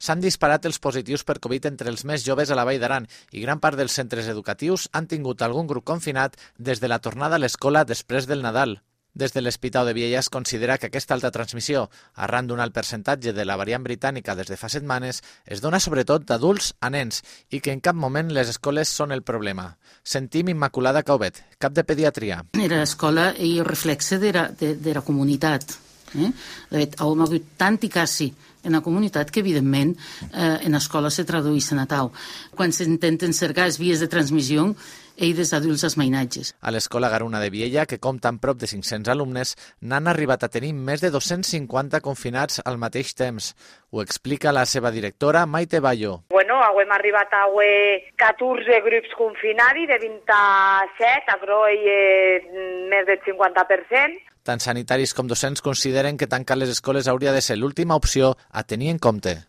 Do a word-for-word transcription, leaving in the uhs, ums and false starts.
S'han disparat els positius per Covid entre els més joves a la Vall d'Aran i gran part dels centres educatius han tingut algun grup confinat des de la tornada a l'escola després del Nadal. Des de l'Hospital de Viella es considera que aquesta alta transmissió, arran d'un alt percentatge de la variant britànica des de fa setmanes, es dona sobretot d'adults a nens i que en cap moment les escoles són el problema. Sentim Immaculada Cauvet, cap de pediatria. Era l'escola i el reflexe de la, de, de la comunitat. Eh? De fet, hem hagut tant i quasi en la comunitat que, evidentment, eh, en l'escola se traduïssin a tau. Quan s'intenten cercar les vies de transmissió, ell des d'adults als mainatges. A l'escola Garuna de Viella, que compta amb prop de cinc-cents alumnes, n'han arribat a tenir més de dos-cents cinquanta confinats al mateix temps. Ho explica la seva directora, Maite Bayo. Bueno, hem arribat a catorze grups confinats de vint-i-set, a Groi més del cinquanta per cent. Tant sanitaris com docents consideren que tancar les escoles hauria de ser l'última opció a tenir en compte.